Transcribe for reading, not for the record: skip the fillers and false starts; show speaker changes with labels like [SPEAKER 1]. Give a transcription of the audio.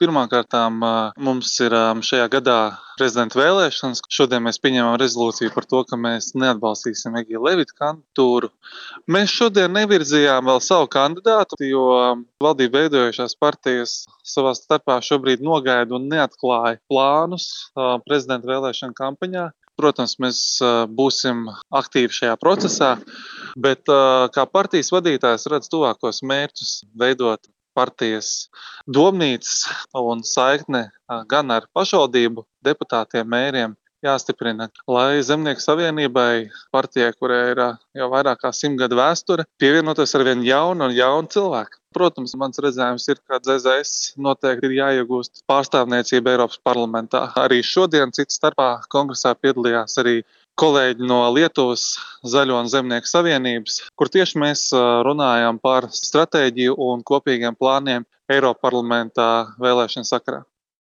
[SPEAKER 1] Pirmkārtām mums ir šajā gadā prezidenta vēlēšanas. Šodien mēs pieņēmām rezolūciju par to, ka mēs neatbalstīsim Egīla Levita kandidatūru. Mēs šodien nevirzījām vēl savu kandidātu, jo valdību veidojušās partijas savā starpā šobrīd nogaida un neatklāja plānus prezidenta vēlēšanu kampaņā. Protams, mēs būsim aktīvi šajā procesā, bet kā partijas vadītājs redz tuvākos mērķus veidot partijas domnīcas un saikne gan ar pašvaldību deputātiem, mēriem jāstiprina, lai Zemnieku savienībai, partijai, kurai ir jau vairāk kā 100 gadu vēsture, pievienoties arvien jaunu cilvēku. Protams, mans redzējums ir, ka ZZS noteikti ir jāiegūst pārstāvniecība Eiropas parlamentā. Arī šodien cits starpā kongresā piedalījās arī kolēģi no Lietuvas Zaļo un Zemnieku savienības, kur tieši mēs runājām par stratēģiju un kopīgiem plāniem Eiroparlamentā vēlēšanu sakarā.